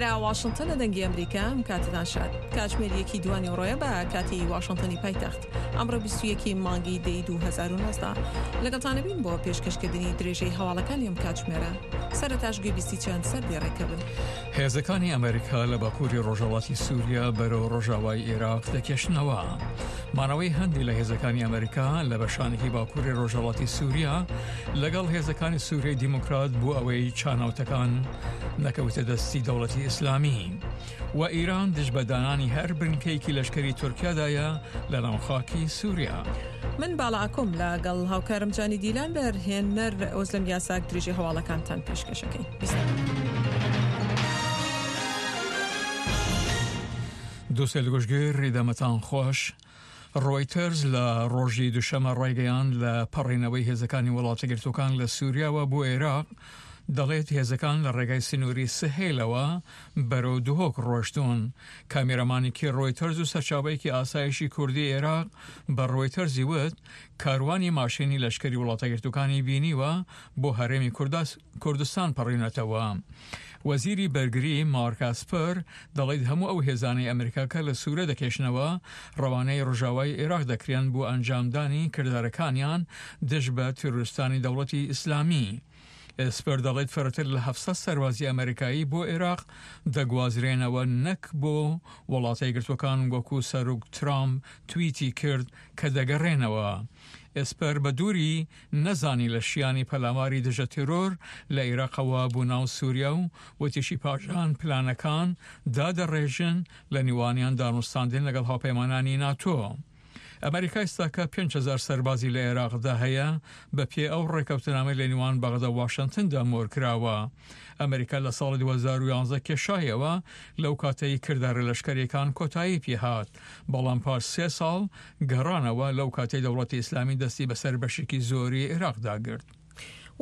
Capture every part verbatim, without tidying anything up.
ئێرە واشنتن دەنگی ئەمریکا، ئەم کاتتان شاد. کاتژمێر یەکی دوانی ڕۆیە بە کاتی واشنتنی پایتەخت. ئەمڕۆ بیست و یەکی مانگی دەی دوو هەزار و نۆزدە. لەگەڵتانە بین بۆ پێشکەشکردنی درێژەی هەواڵەکانی ئەم کاتژمێرە. سەرەتاش گوێبیستی چەند سەردێڕێکە بن. هێزەکانی ئەمریکا لە باکووری ڕۆژهەڵاتی سووریا بەرەو ڕۆژاوای عێراق دەکێشنەوە. مانەوەی هەندی لە هێزەکانی ئەمریکا لە بەشانێکی باکووری ڕۆژهەڵاتی سووریا لەگەڵ هێزەکانی سووریای دیموکرات بۆ ئەوەی چانەوتەکان نەکەوتە دەستی دەوڵەتی ئیسلامی. و ئیران دژ بە دانانی هەر بنکەیەکی لەشکری تورکیادایە لە ناوخاکی سووریا. من باڵا ئاکۆم لەگەڵ هاوکارم جانی دیلان بەرهێنەر ئۆزلەم یاساک درێژی هەواڵەکانتان پێشکەشەکەین. دووسێ گوشگیر ڕیدەمەتان خۆش. ڕۆیتەرز لە ڕۆژی دوشەمە ڕایگەیاند لە پەڕینەوەی هێزەکانی وڵاتەگرتوەکان لە سووریاوە بۆ عێراق، دەڵێت هێزەکان لە ڕێگای سنووری سهێلەوە بەرەو دهۆک ڕۆشتون. کامێرامانێکی ڕۆیتەرز و سەرچاوەیەکی ئاسایشی کوردی عێراق بە ڕۆیتەرزی وت کاروانی ماشینی لەشکری وڵاتەگرتوەکانی بینیوە بۆ هەرێمی کوردستان پەڕینەتەوە. وەزیری بەرگری مارک ئاسپەر دەڵێت هەموو ئەو هێزانەی ئەمریکا کە لە سوورە دەکێشنەوە ڕەوانەی ڕۆژاوای عێراق دەکرێن بۆ ئەنجامدانی کردارەکانیان دژ بە تیرۆریستانی دەوڵەتی ئیسلامی. ئێسپەر دەڵێت فرەتر لە هەفسەد سەربازی ئەمریکایی بۆ عێراق دەگوازرێنەوە نەک بۆ وڵاتە یەکگرتووەکان وەکو سەرۆک ترامپ تویتی کرد کە دەگەڕێنەوە. ئێسپەر بە دووری نەزانی لە شیانی پەلاماری دژە تێرۆر لە عێراقەوە بۆ ناو سووریا و وتیشی پاشان پلانەکان دادەڕێژن لە نێوانیان دانوستاندن لەگەڵ هاوپەیمانانی ناتۆ. ئەمریکا ئێستاکە پێنج هەزار سەربازی لە عێراقدا هەیە بە پێ ئەو ڕێکەوتنامەی لە نێوان بەغدا و واشنتندا مۆر کراوە. ئەمریکا لە ساڵی دوو هەزار و یازدە کێشایەوە لەو کاتەی کردارە لەشکەریەکان کۆتایی پێهات، بەڵام پاش سێ ساڵ گەڕانەوە لەو کاتەی دەوڵەتی ئیسلامی دەستی بەسەر بەشێکی زۆری عێراقدا گرت.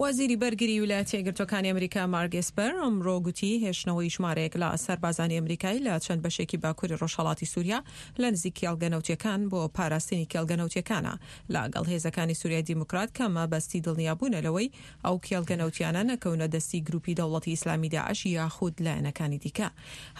وەزیری بەرگری ویلایەتە یەکگرتووەکانی ئەمریکا مارک ئێسپەر ئەمڕۆ گوتی هێشتنەوەی ژمارەیەک لە سەربازانی ئەمریکایی لە چەند بەشێکی باکووری ڕۆژهەڵاتی سووریا لە نزیک کێڵگە نەوتیەکان بۆ پاراستنی کێڵگە نەوتیەکانە لەگەڵ هێزەکانی سووریای دیموکرات کە مەبەستی دڵنیابوونە لەوەی ئەو کێڵگە نەوتیانە نەکەونە دەستی گروپی دەوڵەتی ئیسلامی داعش یاخود لایەنەکانی دیکە.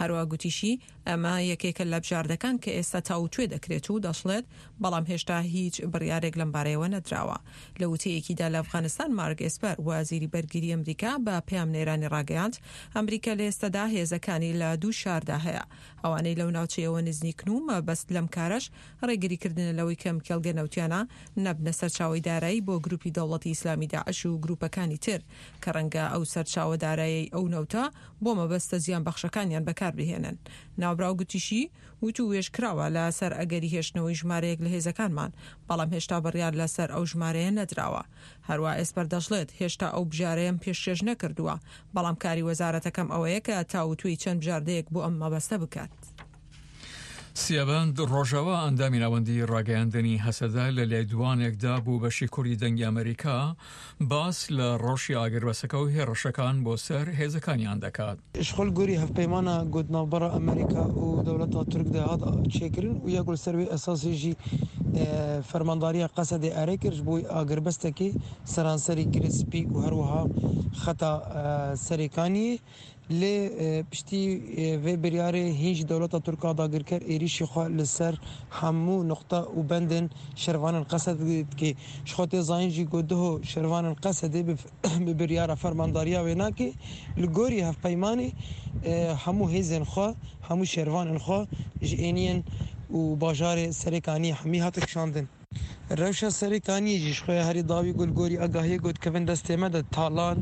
هەروە گوتیشی ئەمە یەکێکە لە بژاردەکان کە ئێستا تاوتوێ دەکرێت و دەشڵێت بەڵام هێشتا هیچ بڕیارێک لەم بارەیەوە نەدراوە. لە وتەیەکیدا لە ئەفغانستان مارک ئێسپەر وەزیری بەرگری ئەمریکا بە پەیامنێرانی ڕاگەیاند ئەمریکا لە ئێستادا هێزەکانی لە دوو شاردا هەیە ئەوانەی لەو ناوچەیەوە نزیکن و مەبەست لەم کارەش ڕێگریکردنە لەوەی کەم کێڵگە نەوتیانە نەبنە سەرچاوەی دارایی بۆ گروپی دەوڵەتی ئیسلامی داعش و گروپەکانی تر کە ڕەنگە ئەو سەرچاوە دارایی ئەو نەوتە بۆ مەبەستە زیان بەخشەکانیان بەکاربهێنن. ناوبراو گوتیشی وتووێژ کراوە لەسەر ئەگەری هێشتنەوەی ژمارەیەک لە هێزەکانمان، بەڵام هێشتا بڕیار لەسەر ئەو ژمارەیە نەدراوە. هەروە ئێسپەر دەشڵێت هێشتا ئەو بژارەیەم پێشکێش نەکردووە، بەڵام کاری وەزارەتەکەم ئەوەیە کە تاوتوێی چەند بژاردەیەک بۆ ئەم مەبەستە بکات. سیابەند ڕۆژاوا ئەندامی ناوەندی ڕاگەیاندنی هەسەدە لە لێدوانێکدا بۆ بەشی کوردی دەنگی ئەمریکا باس لە ڕەوشی ئاگربەسەکە و هێڕشەکان بۆ سەر هێزەکانیان دەکات. شخۆل گۆری هەڤپەیمانە گوت ناوبەرە ئەمریکا و دەوڵەتا تورک دەهات چێکردن و یەک لەسەر وێ ئەساسیژی فەرمانداریە قەسەدێ ئەرێ کرد بۆی ئاگربەستێکی سەرانسەری گرسپی و هەروەها خەتا سەرێکانی لێ پشتی وێ بریارێ هیچ دەوڵەتە تورکا داگیرکەر ئێریشی خوا لەسەر هەموو نقطە و بەندن شەرڤانن قەسەد دکێ. شخۆ تێ زانین ژی گوت دهۆ شەرڤانن قەسەدێ بە بریارە فەرمانداریە وێ ناکێ li gorî hevpeymanê hemû hêzên xwe hemû şervanên xwe ji êniyên û bajarê Serêkaniyê hemî hate kişandin. Rewşa Serêkaniyê jî ji xwe herî dawî got li gorî agahiyê got kevin destê me de talan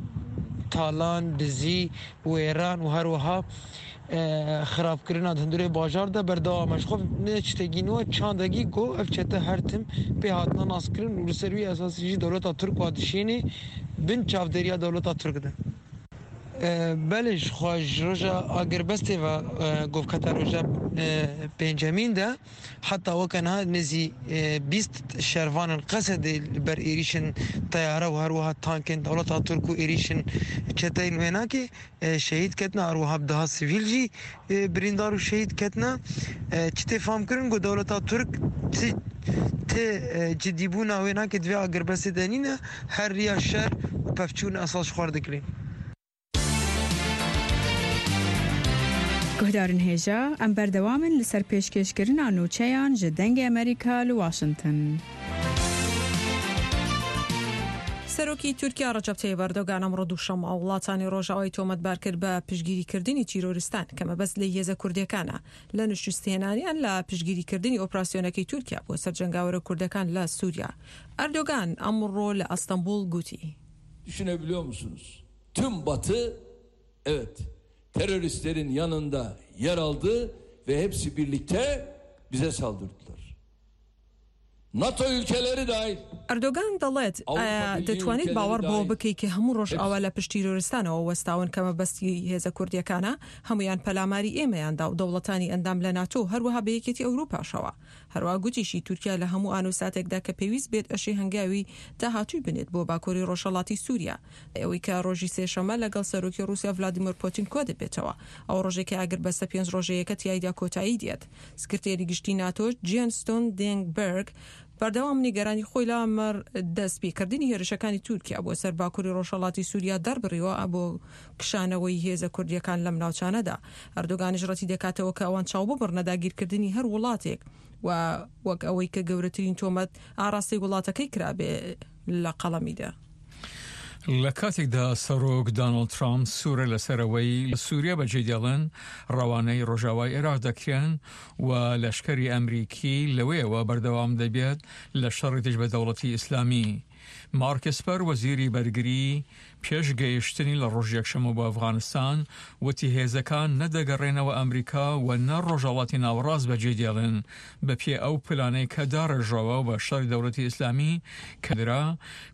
talan dizî wêran û her wiha xirabkirina di hundirê bajar de berdewam e. Ji xwe ne tiştekî nû e, çandekî ku ev çete her tim pê hatine naskirin û li ser wî esasî jî dewleta Tirk wa dişînê bin çavdêriya dewleta Tirk de. Belê ji xwe ji roja agirbestê ve govketa roja pêncemîn de heta weke niha nêzî bîst şervanên Qesedê li ber êrîşên teyare û her wiha tankên dewleta Tirk û êrîşên çeteyên wê nake şehîd ketine, her wiha bi deha sivîl jî birîndar û şehîd ketine. Çi tê famkirin ku dewleta Tirk tê cidîbûna wê nake divê agirbestê de nîne, her riya şer û pevçûn esas ji xwe dikirin. Guhdarên hêja em berdewam in li ser pêşkêşkirina nûçeyan ji Dengê Amerîka li Washington. سەرۆکی تورکیا ڕەجەب تەیب ئەردۆگان ئەمڕۆ دووشەممە وڵاتانی ڕۆژاوای تۆمەتبار کرد بە پشتگیریکردنی تیرۆریستان کە مەبەست لێی هێزە کوردیەکانە لە نشوستهێنانیان لە پشتگیریکردنی ئۆپراسیۆنەکەی تورکیا بۆ سەر جەنگاوەرە کوردەکان لە سووریا. ئەردۆگان ئەمڕۆ لە ئەستەنبوڵ گوتی. Düşünebiliyor musunuz? Tüm Batı evet teröristlerin yanında yer aldı ve hepsi birlikte bize saldırdılar. NATO ülkeleri dahil. ئەردۆگان دەڵێت ئایا دەتوانیت باوەڕ بەوە بکەی کە هەموو ڕۆژئاوا لە پشت تیرۆریستانەوە وەستاون کە مەبەستی هێزە کوردیەکانە هەمویان پەلاماری ئێمەیاندا و دەوڵەتانی ئەندام لە ناتۆ هەروەها بە یەکێتی ئەوروپاشەوە. هەروەها گوتیشی تورکیا لە هەموو ئان و ساتێکدا کە پێویست بێت ئەشێ هەنگاوی داهاتووی بنێت بۆ باکووری ڕۆژهەڵاتی سووریا. ئەوەی کە ڕۆژی سێشەممە لەگەڵ سەرۆکی ڕووسیا ڤلادیمیر پوتین کۆ دەبێتەوە. ئەو ڕۆژێک کە ئاگربەستە پێنج ڕۆژەیەکە تیایدا کۆتایی دێت. سکرتێری گشتی ناتۆ جێن ستۆلتنبێرگ بەردەوام نیگەرانی خۆی لە مەڕ دەستپێکردنی هێرشەکانی تورکیا بۆ سەر باکووری ڕۆژهەڵاتی سووریا دەربڕیوە بۆ کشانەوەی هێزە کوردیەکان لەم ناوچانەدا. ئەردۆگانیش ڕەتی دەکاتەوە کە ئەوان چاو ببڕنە داگیرکردنی هەر وڵاتێک و وەک ئەوەی کە گەورەترین تۆمەت ئاراستەی وڵاتەکەی کرابێ لە قەڵەمیدا. لە کاتێکدا سەرۆک دانۆڵد ترامپ سوورە لەسەرەوەی لە سووریا بەجێ دێڵن ڕەوانەی ڕۆژاوای عێراق دەکرێن و لەشکری ئەمریکی لەوەیەوە بەردەوام دەبێت لە شەڕی دژ بە دەوڵەتی ئیسلامی. مارک ئێسپەر وەزیری بەرگری پێش گەیشتنی لە ڕۆژ یەکشەممە بۆ ئەفغانستان وتی هێزەکان نەدەگەڕێنەوە ئەمریکا و نە ڕۆژهەڵاتی ناوەڕاست بەجێ دێڵن بە پێ ئەو پلانەی کە داڕێژراوە بە شەڕی دەوڵەتی ئیسلامی کە درا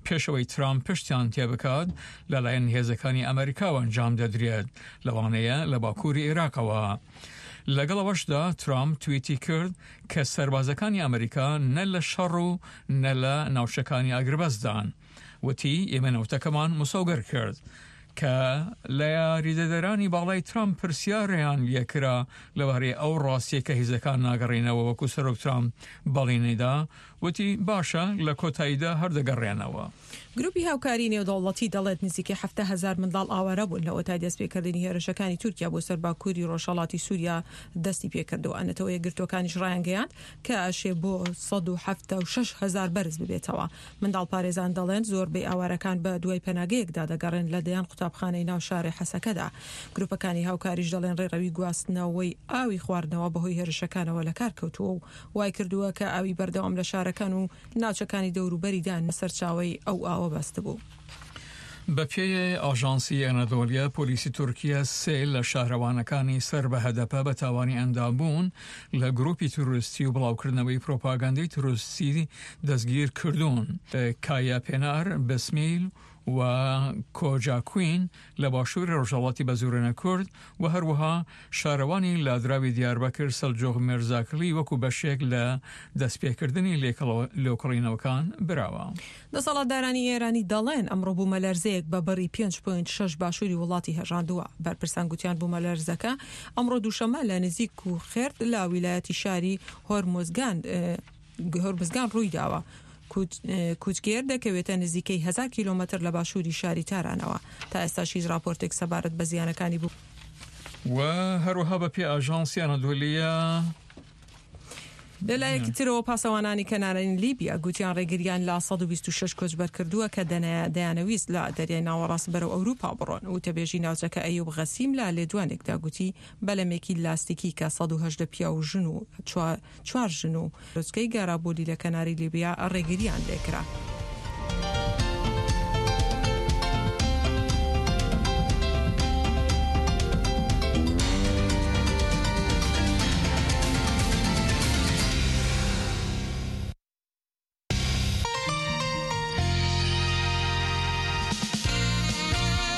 پێشەوەی ترامپ پشتیان تێبکات لەلایەن هێزەکانی ئەمریکاوە ئەنجام دەدرێت لەوانەیە لە باکووری عێراقەوە. لەگەڵ ئەوەشدا ترامپ تویتی کرد کە سەربازەکانی ئەمریکا نە لە شەڕ و نە لە ناوچەکانی ئاگربەستدان. وتی ئێمە نەوتەکەمان مسۆگەر کرد کە لە یاریدەدەرانی باڵای ترامپ پرسیاریان لێکرا لەبارەی ئەو ڕاستیە کە هێزەکان ناگەڕێنەوە وەکو سەرۆک ترامپ بەڵێنیدا وتی باشە لە کۆتاییدا هەر دەگەڕێنەوە. گروپی هاوکاری نێودەوڵەتی دەڵێت نزیکەی حەفتا هەزار منداڵ ئاوارە بوون لەوەتای دەستپێکردنی هێرشەکانی تورکیا بۆ سەر باکووری ڕۆژهەڵاتی سووریا دەستی پێکردەوە. نەتەوە یەکگرتووەکانیش ڕایانگەیاند کە ئەشێ بۆ سەد و حەفتا و شەش هەزار بەرز ببێتەوە. منداڵ پارێزان دەڵێن زۆربەی ئاوارەکان بە دوای پەناگەیەکدا دەگەڕێن لە دەیان قوتابخانەی ناو شاری حەسەکەدا. گروپەکانی هاوکاریش دەڵێن ڕێڕەوی گواستنەوەی ئاوی خواردنەوە بەهۆی هێرشەکانەوە لە کار کەوتووە و وای کردووە کە ئاوی بەردەوام لە شارەکان و ناوچەکانی دەوروبەریدا سەرچاوەی ئەو ئاوە بەستبوو. بە پێی ئاژانسی ئەنادۆلیا پۆلیسی تورکیا سێ لە شارەوانەکانی سەر بە هەدەپە بە تاوانی ئەندامبوون لە گروپی تیرۆریستی و بڵاوکردنەوەی پرۆپاگەندەی تیرۆریستی دەستگیر کردوون. کایا پێنار، بسمیل و کۆجاکوین لە باشووری ڕۆژهەڵاتی بەزورێنە کورد و هەروەها شارەوانی لادراوی دیاربەکر سەلجوق مێرزاکلی وەکو بەشێک لە دەستپێکردنی لێکۆڵینەوەکان براوە. دەسەڵاتدارانی ئێرانی دەڵێن ئەمڕۆ بوومەلەرزەیەک بە بڕی پێنج پوینت شەش باشووری وڵاتی هەژاندووە. بەرپرسان گوتیان بوومەلەرزەکە ئەمڕۆ دووشەممە لە نزیک و خێرد لە ویلایەتی شاری هۆرمزگان هۆرمزگان ڕوویداوە. کوچگێر دەکەوێتە نزیکەی هەزار کیلۆمەتر لە باشووری شاری تارانەوە. تا ئێستاش هیچ راپۆرتێک سەبارەت بە زیانەکانی بوو. و هەروەها بە پێی ئاژانسی ئەنادۆلیە لەلایەکی ترەوە پاسەوانانی کەنارانی لیبیا گوتیان ڕێگریان لە سەد و بیست و شەش کۆچبەر کردووە کە دەیانەویست لە دەریای ناوەڕاست بەرەو ئەوروپا بڕۆن. وتەبێژی ناوچەکە ئەیوب غەسیم لە لێدوانێکدا گوتی بەلەمێکی لاستیکی کە سەد و هەژدە پیاو و ژن و چوار ژن و ڕۆچکەی گارابۆلی لە کەناری لیبیا ڕێگریان لێکرا.